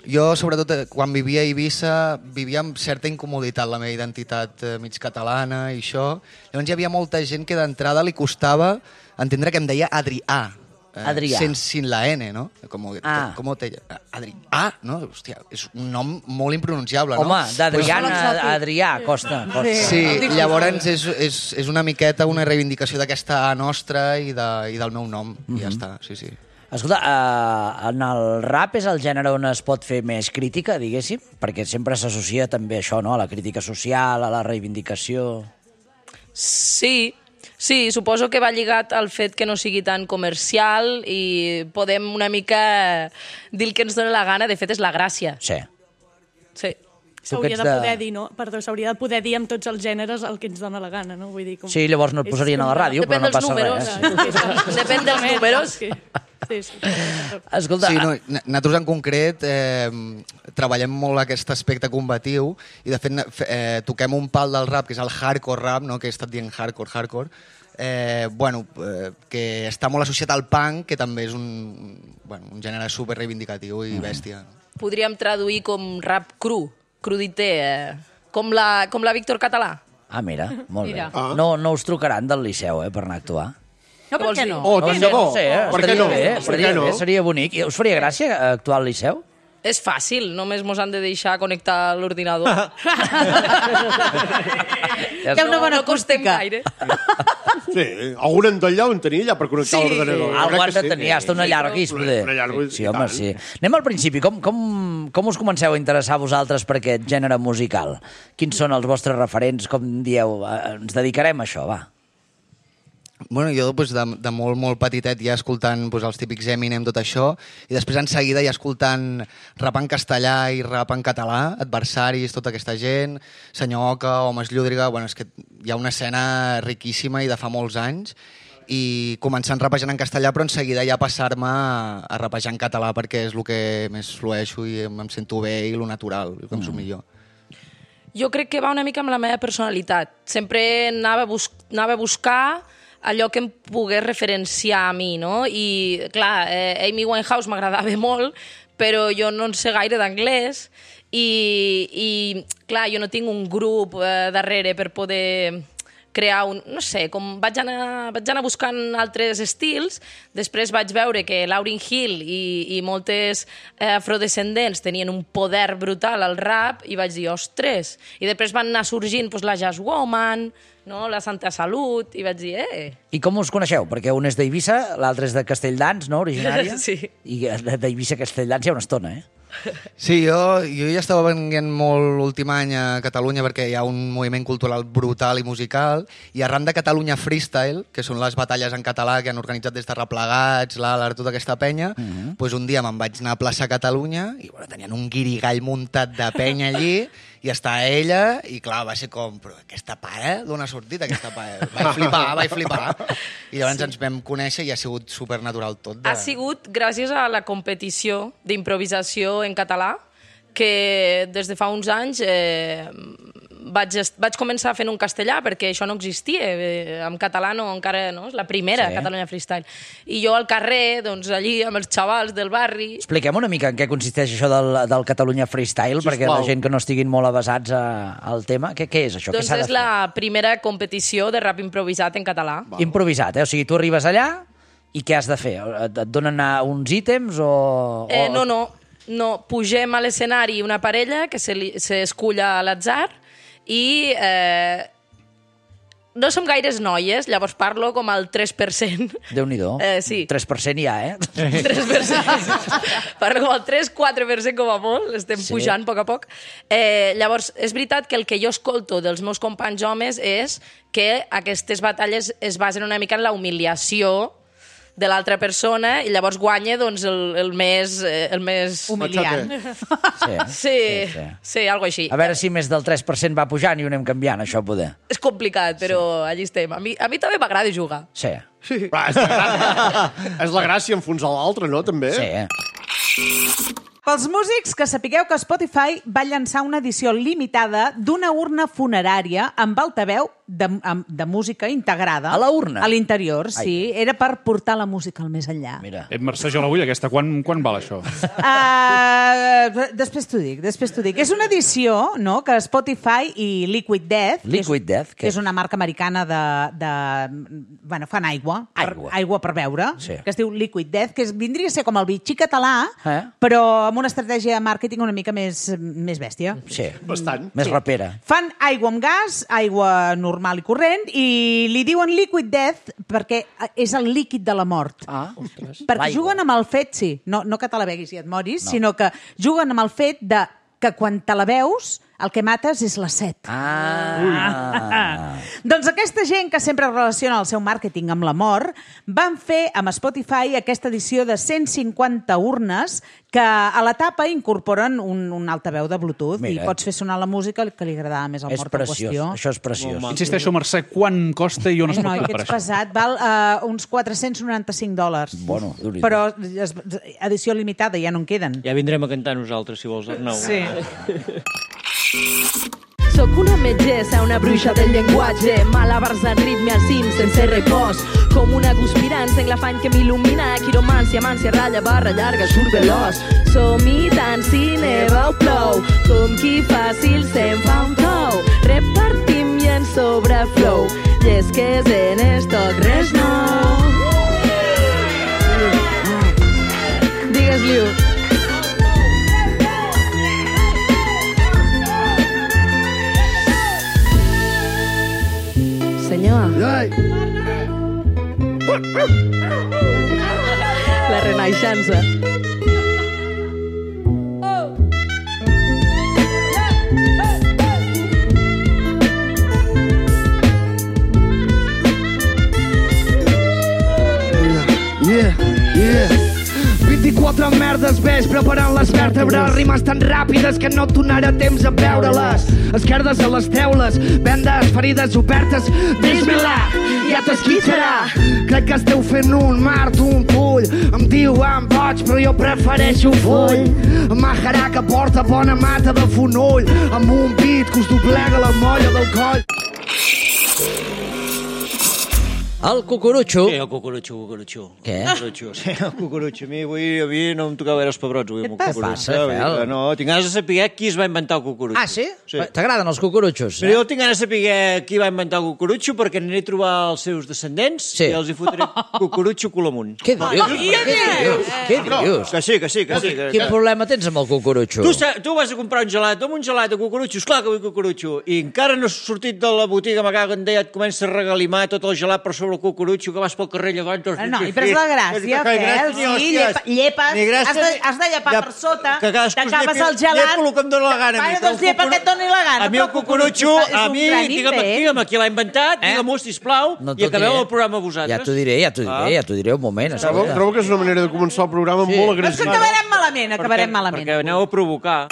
jo, sobretot, quan vivia a Eivissa, vivia amb certa incomoditat la meva identitat mig catalana i això. Llavors hi havia molta gent que d'entrada li costava entendre que em deia Adrià. Adrià. Sin la N, no? Com te... Adrià, no? Hòstia, és un nom molt impronunciable, no? Home, d'Adrià a Adrià, costa. Sí, llavors és una miqueta una reivindicació d'aquesta A nostra i del meu nom, i ja està, sí. Escolta, en el rap és el gènere on es pot fer més crítica, diguéssim? Perquè sempre s'associa també a això, no? A la crítica social, a la reivindicació... Sí, suposo que va lligat al fet que no sigui tan comercial i podem una mica dir el que ens dona la gana. De fet, és la gràcia. Sí. S'hauria de poder dir, no? Perdó, s'hauria de poder dir amb tots els gèneres el que ens dona la gana, no? Vull dir, sí, llavors no et posarien a la ràdio, però no passa res. Depèn dels números. Sí. Escolta... Sí, nosaltres en concret treballem molt aquest aspecte combatiu i de fet toquem un pal del rap, que és el hardcore rap, no? Que he estat dient hardcore, que està molt associat al punk, que també és un gènere super reivindicatiu i bèstia. Podríem traduir com rap cru, cruditer, com la Víctor Català. Ah, mira, molt bé. No us trucaran del Liceu, per anar a actuar? No, per què no? Oh, tant de bo. Per què no? Seria bonic. Us faria gràcia actuar al Liceu? És fàcil, només mos han de deixar connectar l'ordinador. Hi ha una bona acústica. Sí, algun endoll on tenia allà per connectar l'ordenador. Algú han de tenir, hasta una llarguis, poder. Sí, home, sí. Anem al principi. Com us comenceu a interessar vosaltres per aquest gènere musical? Quins són els vostres referents? Com dieu, ens dedicarem a això, va? Bueno, jo de molt, molt petitet ja escoltant els típics Eminem, tot això, i després en seguida ja escoltant rap en castellà i rap en català, Adversaris, tota aquesta gent, Senyor Oca, Homes Llúdriga... Bueno, és que hi ha una escena riquíssima i de fa molts anys, i començant rapejant en castellà, però en seguida ja passar-me a rapejar en català perquè és el que més flueixo i em sento bé i el natural, el que em surt millor. Jo crec que va una mica amb la meva personalitat. Sempre anava a buscar allò que em pogués referenciar a mi, no? I, clar, Amy Winehouse m'agradava molt, però jo no en sé gaire d'anglès i, clar, jo no tinc un grup darrere per poder crear un... No sé, com vaig anar buscant altres estils, després vaig veure que Lauryn Hill i moltes afrodescendents tenien un poder brutal al rap i vaig dir, ostres! I després van anar sorgint la Jazz Woman, no? La Santa Salut, i vaig dir, I com us coneixeu? Perquè un és d'Eivissa, l'altre és de Castelldans, no?, originària? Sí. I d'Eivissa a Castelldans hi ha una estona, Sí, jo ja estava venint molt l'últim any a Catalunya perquè hi ha un moviment cultural brutal i musical, i arran de Catalunya Freestyle, que són les batalles en català que han organitzat des de Replegats, l'Alar, tota aquesta penya, doncs un dia me'n vaig anar a plaça Catalunya i tenien un guirigall muntat de penya allí, i està ella, i clar, va ser com, però aquesta pare, d'on ha sortit aquesta pare? Vaig flipar. I llavors ens vam conèixer i ha sigut supernatural tot. Ha sigut gràcies a la competició d'improvisació en català, que des de fa uns anys vaig començar fent un castellà, perquè això no existia. En català no, encara no, és la primera, Catalunya Freestyle. I jo al carrer, doncs allí, amb els xavals del barri... Expliquem una mica en què consisteix això del Catalunya Freestyle, perquè la gent que no estiguin molt avasats al tema, què és això? Doncs és la primera competició de rap improvisat en català. Improvisat, O sigui, tu arribes allà i què has de fer? Et donen uns ítems o... No, pugem a l'escenari una parella que s'escull a l'atzar i no som gaires noies, llavors parlo com al 3%. Déu-n'hi-do. Sí. 3% ja, 3%. Parlo com al 3-4% com a molt, estem pujant a poc a poc. Llavors, és veritat que el que jo escolto dels meus companys homes és que aquestes batalles es basen una mica en la humiliació de l'altra persona i llavors guanya doncs, el més... humiliant. Sí, algo així. A veure si més del 3% va pujant i ho anem canviant, això poder. És complicat, però allí estem. A mi també m'agrada jugar. Sí. És la gràcia enfonsar l'altre, no, també? Sí. Pels músics, que sapigueu que Spotify va llançar una edició limitada d'una urna funerària amb altaveu de música integrada. A la urna? A l'interior, sí. Era per portar la música al més enllà. Mira. Mercè, jo la vull, aquesta. Quan val això? Després t'ho dic. És una edició, no?, que Spotify i Liquid Death, que és una marca americana bueno, fan aigua per beure, que es diu Liquid Death, que vindria a ser com el Vichy català, però amb una estratègia de màrqueting una mica més bèstia. Sí, bastant. Més rapera. Fan aigua amb gas, aigua normal i corrent, i li diuen Liquid Death perquè és el líquid de la mort. Perquè juguen amb el fet, no que te la beguis i et moris, sinó que juguen amb el fet que quan te la beus el que mates és la set. Doncs aquesta gent que sempre relaciona el seu màrqueting amb la mort van fer amb Spotify aquesta edició de 150 urnes que a la tapa incorporen un altaveu de Bluetooth i pots fer sonar la música que li agradava més al mort en qüestió. Això és preciós. Insisteixo, Mercè, quan costa i on es pot comprar això? Pesat, val uns $495. Bueno, però edició limitada, ja no en queden. Ja vindrem a cantar nosaltres, si vols, Arnau. Sí. Soc una metgessa, una bruixa del llenguatge, malabars en ritme al cim sense repòs, com una guspirant en l'afany que m'il·lumina, quiromància, mància, ratlla, barra llarga, surt veloç. Som-hi tant si neva o plou, com qui fàcil se'n fa un tou. Repartim i en sobreflou, llesques en estoc, res nou. Digues-li-ho. Senyor. La renaixença. Dic 4 merdes, ves preparant les vèrtebres, rimes tan ràpides que no et donarà temps a veure-les. Esquerdes a les teules, vendes, ferides obertes, bismillah, ja t'esquitxarà. Crec que esteu fent un mart, un pull. Em diuen boig, però jo prefereixo full. Majarà que porta bona mata de fonoll, amb un beat que us doblega la molla del coll. El cucurutxo. Sí, el cucurutxo. Què? Sí, el cucurutxo. A mi no em tocava veure els pebrots avui amb el cucurutxo. Què et passa, Fel? No, tinc ganes de saber qui es va inventar el cucurutxo. Ah, sí? T'agraden els cucurutxos? Però jo tinc ganes de saber qui va inventar el cucurutxo perquè aniré a trobar els seus descendents i els hi fotré cucurutxo cul amunt. Què dius? Què dius? Que sí. Quin problema tens amb el cucurutxo? Tu vas a comprar un gelat, amb un gelat de cucurutxo, esclar que vull cucurutxo, i encara no has sortit de la botiga, me cago en Déu, et comença a regalimar tot el gelat per sobre el cucurutxo, que vas pel carrer llavors... No, i però és la gràcia, Fel, sí, llepes, has de llepar per sota, t'acabes el gelat... Llepo el que em dóna la gana. Bueno, doncs llepa que et doni la gana. A mi el cucurutxo, digue'm qui l'ha inventat, digue-m'ho, sisplau, i acabeu el programa vosaltres. Ja t'ho diré un moment. Trobo que és una manera de començar el programa molt agressiva. Acabarem malament. Perquè aneu a provocar.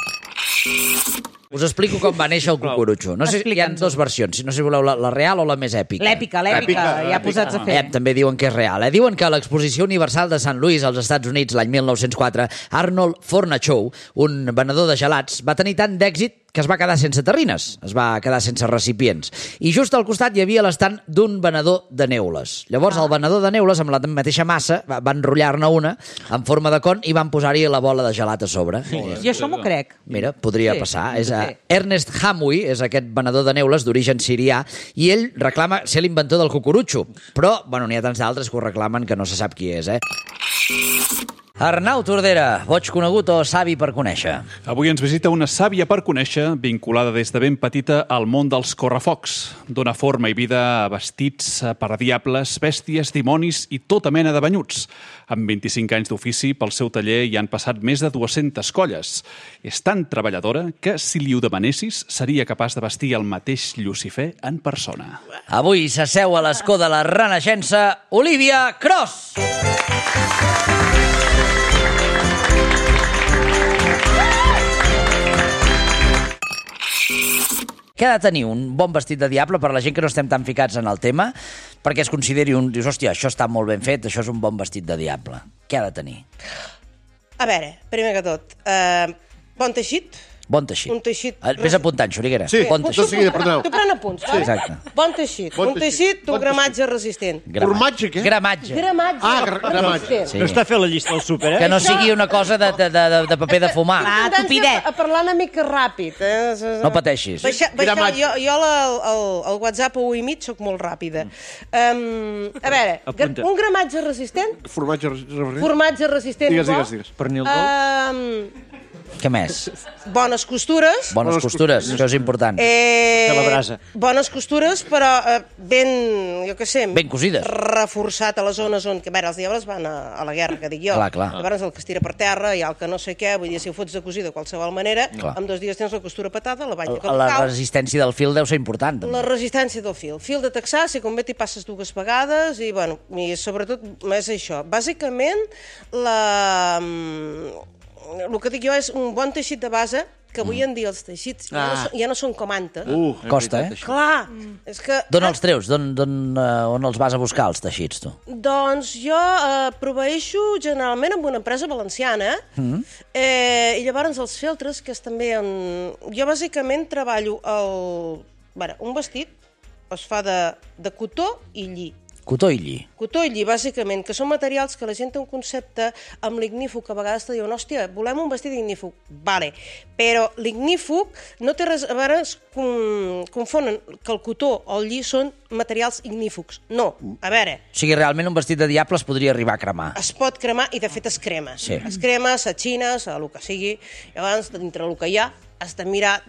Us explico com va néixer el cucurutxo. No sé, hi ha dues versions, no sé si voleu la real o la més èpica. L'èpica, ja posats a fer. També diuen que és real. Diuen que a l'Exposició Universal de Sant Louis, als Estats Units, l'any 1904, Arnold Fornachow, un venedor de gelats, va tenir tant d'èxit que es va quedar sense terrines, es va quedar sense recipients. I just al costat hi havia l'estant d'un venedor de neules. Llavors el venedor de neules, amb la mateixa massa, va enrotllar-ne una en forma de con i van posar-hi la bola de gelat a sobre. Jo això m'ho crec. Mira, podria passar. Ernest Hamwi és aquest venedor de neules d'origen sirià i ell reclama ser l'inventor del cucurutxo. Però, n'hi ha tants d'altres que ho reclamen que no se sap qui és, Arnau Tordera, boig conegut o savi per conèixer? Avui ens visita una sàvia per conèixer, vinculada des de ben petita al món dels correfocs. Dóna forma i vida a vestits per a diables, bèsties, dimonis i tota mena de banyuts. Amb 25 anys d'ofici, pel seu taller hi han passat més de 200 colles. És tan treballadora que, si li ho demanessis, seria capaç de vestir el mateix Llucifer en persona. Avui s'asseu a l'escó de la Renaixença, Olivia Cross! Què ha de tenir un bon vestit de diable per a la gent que no estem tan ficats en el tema, perquè es consideri dius, hòstia, això està molt ben fet, això és un bon vestit de diable. Què ha de tenir? A veure, primer que tot, bon teixit. Bon teixit. Un teixit... Vés apuntant, Xuriguera. Sí, bon teixit. Tu pren apunts. Sí, exacte. Bon teixit. Un teixit, un gramatge resistent. Formatge, què? Gramatge. Gramatge. No està fent la llista del súper, Que no sigui una cosa de paper de fumar. Tupidet. A parlar una mica ràpid. No pateixis. Jo al WhatsApp ho imit, soc molt ràpida. A veure, un gramatge resistent? Formatge resistent. Digues. Pernil dolç? Què més? Bones costures. Bones costures, això és important. De la brasa. Bones costures, però ben, jo què sé... Ben cosides. Reforçat a les zones on... A veure, els diables van a la guerra, que dic jo. Clar. Llavors el que es tira per terra, hi ha el que no sé què, vull dir, si ho fots de cosir de qualsevol manera, en 2 dies tens la costura patada, la banya que la resistència del fil deu ser important. La resistència del fil. Fil de texà, si convé t'hi passes 2 vegades, i sobretot és això. Bàsicament, el que dic jo és un bon teixit de base, que avui en dia els teixits ja no són com antes. Costa, Clar, és que... D'on els treus? On els vas a buscar, els teixits, tu? Doncs jo proveeixo generalment amb una empresa valenciana, i llavors els feltres, que és també... Jo bàsicament treballo un vestit es fa de cotó i lli. Cotó i lli. Cotó i lli, bàsicament, que són materials que la gent té un concepte amb l'ignífug, que a vegades te diuen, hòstia, volem un vestit ignífug. Vale, però l'ignífug no té res... A vegades confonen que el cotó o el lli són materials ignífugs. No, a veure... O sigui, realment un vestit de diable es podria arribar a cremar. Es pot cremar i, de fet, es crema. Sí. Es crema, s'atxines, el que sigui. Llavors, dintre el que hi ha, has de mirar,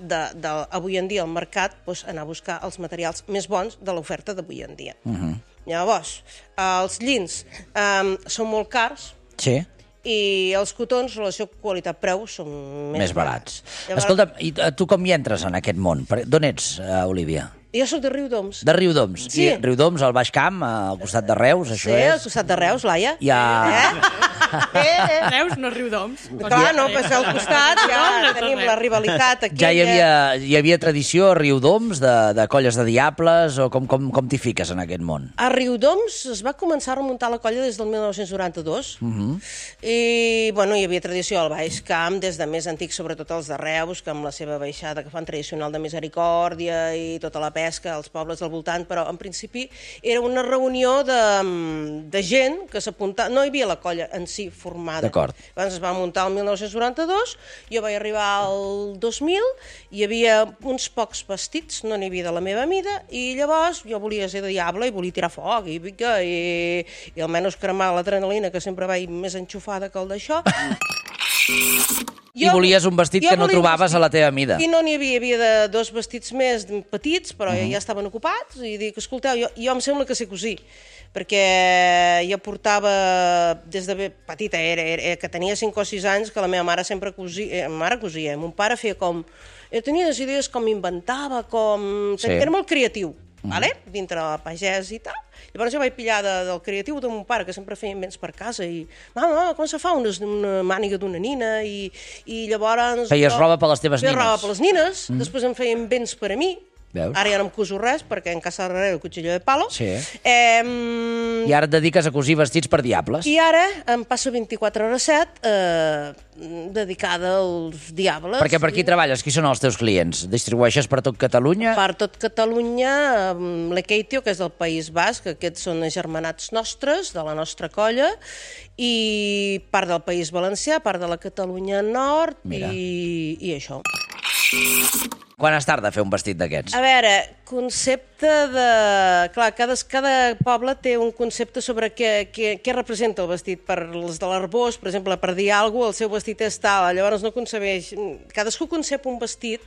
avui en dia, al mercat, anar a buscar els materials més bons de l'oferta d'avui en dia. Llavors, els llins són molt cars. Sí. I els cotons, relació qualitat-preu, són més barats. Escolta, i tu com hi entres en aquest món? D'on ets, Olivia? Jo soc de Riudoms. De Riudoms. Sí. I Riudoms, al Baix Camp, al costat de Reus, això és... Sí, al costat de Reus, Laia. Reus no Riudoms. Clar, no, però al costat ja tenim la rivalitat aquí. Ja hi havia tradició a Riudoms de colles de diables, o com t'hi fiques en aquest món? A Riudoms es va començar a remuntar la colla des del 1992 i, bueno, hi havia tradició al Baix Camp des de més antics, sobretot els de Reus, que amb la seva baixada que fan tradicional de Misericòrdia i tota la pesca als pobles del voltant, però en principi era una reunió de gent que s'apuntava, no hi havia la colla en si formada. D'acord. Abans es va muntar el 1992, jo vaig arribar al 2000, hi havia uns pocs vestits, no n'hi havia de la meva mida, i llavors jo volia ser de diable i volia tirar foc i almenys cremar l'adrenalina, que sempre vaig més enxufada que el d'això. I volies un vestit que no trobaves a la teva mida. I no n'hi havia de dos vestits més petits, però ja estaven ocupats, i dic, escolteu, jo em sembla que sé cosir, perquè jo portava, des de petita, que tenia 5 o 6 anys, que la meva mare sempre cosia, mon pare feia com... Tenia les idees com inventava, com... Era molt creatiu, dintre el pagès i tal. Llavors jo vaig pillar del creatiu de mon pare, que sempre feia invents per casa, i mama, com se fa una màniga d'una nina, i llavors... Feies roba per les teves nines. Feia roba per les nines, després em feia invents per a mi. Veus? Ara ja no em coso res, perquè en casa darrere el cuchillo de palo. Sí. I ara et dediques a cosir vestits per diables. I ara em passo 24/7 dedicada als diables. Perquè per qui treballes? Qui són els teus clients? Distribueixes per tot Catalunya? Per tot Catalunya, l'Ekeitio, que és del País Basc, aquests són germanats nostres, de la nostra colla, i part del País Valencià, part de la Catalunya Nord, i això. Quan es tarda a fer un vestit d'aquests? A veure, concepte de... Clar, cada poble té un concepte sobre què representa el vestit. Per els de l'Arbós, per exemple, per dir alguna cosa, el seu vestit és tal, llavors no concebeix... Cadascú concep un vestit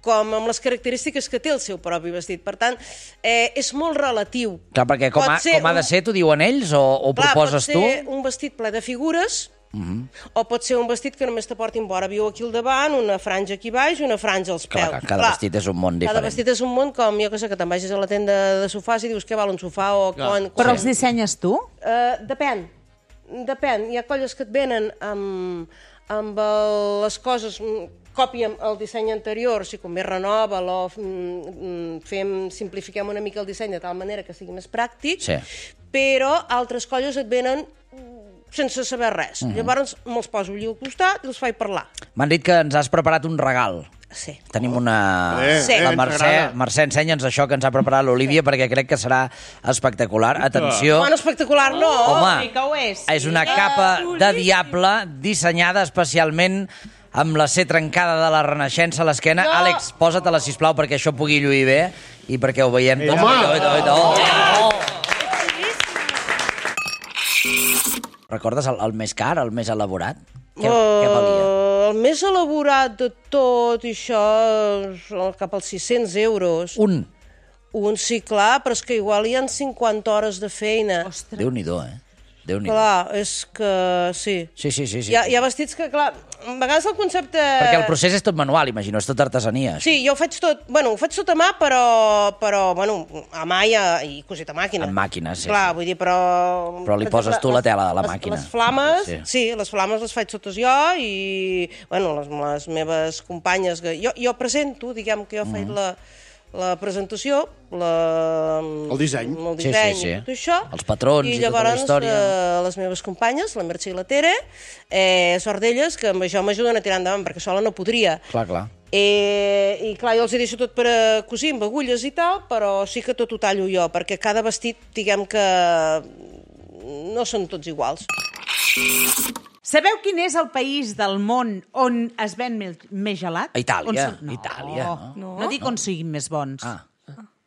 com amb les característiques que té el seu propi vestit. Per tant, és molt relatiu. Clar, perquè com ha de ser, t'ho diuen ells, o ho proposes tu? Pot ser un vestit ple de figures, o pot ser un vestit que només te portin vora viu aquí al davant, una franja aquí baix i una franja als peus. Clar, cada vestit és un món diferent. Cada vestit és un món com, jo que sé, que te'n vagis a la tenda de sofàs i dius què val un sofà o... Però els dissenyes tu? Depèn. Hi ha colles que et venen amb les coses... Còpia el disseny anterior, si convé renova-lo, simplifiquem una mica el disseny de tal manera que sigui més pràctic, però altres colles et venen sense saber res. Llavors me'ls poso allà al costat i els faig parlar. M'han dit que ens has preparat un regal. Sí. Tenim una... La Mercè, ensenya'ns això que ens ha preparat l'Olívia, perquè crec que serà espectacular. Atenció. Bueno, espectacular no. Home, és una capa de diable dissenyada especialment amb la C trencada de la Renaixença a l'esquena. Àlex, posa-te-la, sisplau, perquè això pugui lluir bé i perquè ho veiem. Recordes el més car, el més elaborat? Què valia? El més elaborat de tot això, cap als 600 euros. Un, sí, clar, però és que igual hi ha 50 hores de feina. Déu-n'hi-do, Clar, és que sí. Sí. Hi ha vestits que, clar, a vegades el concepte... Perquè el procés és tot manual, imagino, és tot artesania. Sí, jo ho faig tot a mà, però a mà i cosit a màquina. En màquina, sí. Clar, vull dir, però... Però li poses tu la tela de la màquina. Les flames, sí, les flames les faig totes jo i, les meves companyes... Jo presento, diguem que jo faig la presentació, el disseny, tot això, els patrons i tota la història. Les meves companyes, la Mercè i la Tere, sort d'elles, que amb això m'ajuden a tirar endavant, perquè sola no podria. Clar. I clar, jo els hi deixo tot per cosir amb agulles i tal, però sí que tot ho tallo jo, perquè cada vestit, diguem que no són tots iguals. Sabeu quin és el país del món on es ven més gelat? Itàlia. No dic on siguin més bons.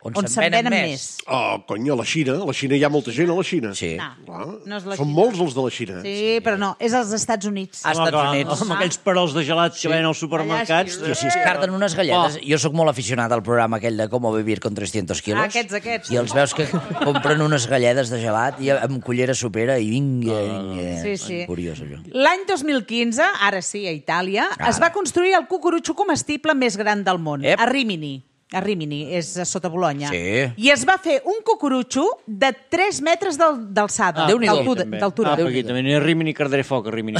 On se'n venen més. Cony, a la Xina. A la Xina hi ha molta gent, a la Xina. Sí. No és la Són Xina. molts els de la Xina. Sí, però no, és als Estats Units. Amb aquells perols de gelat que venen als supermercats. Si es carden unes galledes. Jo sóc molt aficionat al programa aquell de Com vivir con 300 quilos. Aquests. I els veus que compren unes galledes de gelat i amb cullera sopera i vinga. Sí. Curiós, allò. L'any 2015, ara sí, a Itàlia, es va construir el cucurutxo comestible més gran del món, a Rimini. a Rimini, és sota Bologna. Sí. I es va fer un cucurutxo de 3 metres d'alçada. D'altura. Aquí també n'hi ha Rimini, Cardaré Foc, a Rimini.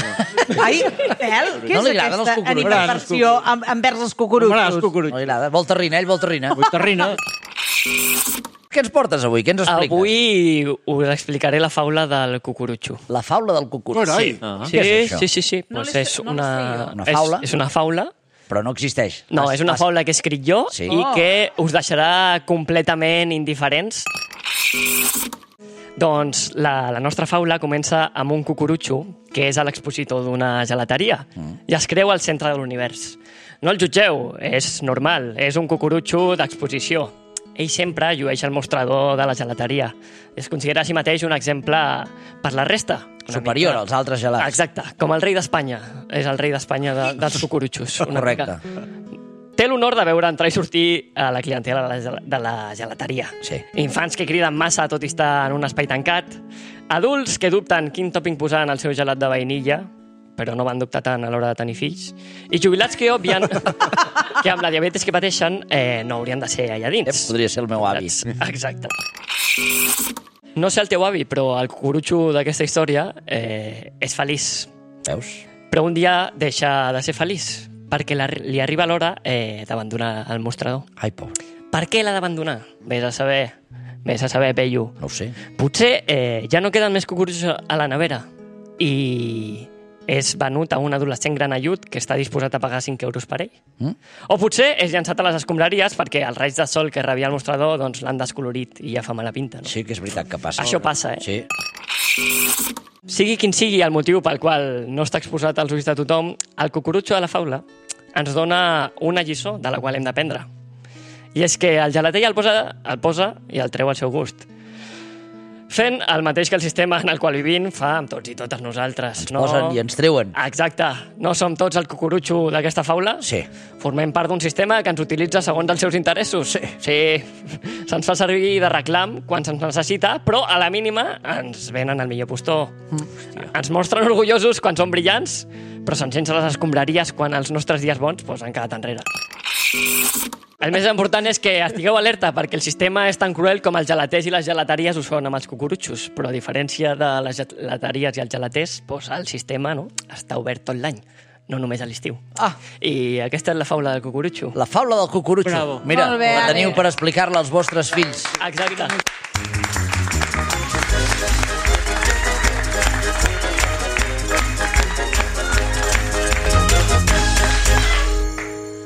Ai, Pèl, què és aquesta animadversió envers els cucurutxos? No li agrada. Vol terrina, ell vol terrina. Vull terrina. Què ens portes avui? Què ens expliques? Avui us explicaré la faula del cucurutxo. La faula del cucurutxo? Sí. Què és això? Sí. Pues és una faula? És una faula. Però no existeix. No, és una faula que he escrit jo i que us deixarà completament indiferents. Doncs la nostra faula comença amb un cucurutxo, que és a l'expositor d'una gelateria, i es creu al centre de l'univers. No el jutgeu, és normal, és un cucurutxo d'exposició. Ell sempre llueix al mostrador de la gelateria. Es considera a si mateix un exemple per la resta. Superior als altres gelats. Exacte, com el rei d'Espanya. És el rei d'Espanya dels cucurutxos. Correcte. Té l'honor de veure entrar i sortir a la clientela de la gelateria. Sí. Infants que criden massa tot i estar en un espai tancat. Adults que dubten quin tòping posar en el seu gelat de vainilla, però no van dubtar tant a l'hora de tenir fills. I jubilats que obvien que amb la diabetes que pateixen no haurien de ser allà dins. Podria ser el meu avi. Exacte. No sé el teu avi, però el cucurutxo d'aquesta història és feliç. Veus? Però un dia deixa de ser feliç, perquè li arriba l'hora d'abandonar el mostrador. Ai, pobre. Per què l'ha d'abandonar? Vés a saber, Pello. No ho sé. Potser ja no queden més cucurutxos a la nevera i és venut a un adolescent granellut que està disposat a pagar 5 euros per ell. O potser és llançat a les escombraries perquè els raigs de sol que rebia el mostrador l'han descolorit i ja fa mala pinta. No? Sí que és veritat que passa. Això passa, Sí. Sigui quin sigui el motiu pel qual no està exposat als ulls de tothom, el cucurutxo de la faula ens dona una lliçó de la qual hem d'aprendre. I és que el gelater el posa i el treu al seu gust. Fent el mateix que el sistema en el qual vivim fa amb tots i totes nosaltres. Ens posen i ens treuen. Exacte. No som tots el cucurutxo d'aquesta faula? Sí. Formem part d'un sistema que ens utilitza segons els seus interessos? Sí. Se'ns fa servir de reclam quan se'ns necessita, però a la mínima ens venen al millor postor. Ens mostren orgullosos quan són brillants, però se'ns sense les escombraries quan els nostres dies bons han quedat enrere. El més important és que estigueu alerta perquè el sistema és tan cruel com els gelaters i les gelateries ho són amb els cucurutxos, però a diferència de les gelateries i els gelaters, el sistema està obert tot l'any, no només a l'estiu. I aquesta és la faula del cucurutxo. La faula del cucurutxo. Bravo. Mira, la teniu per explicar-la als vostres fills. Exacte.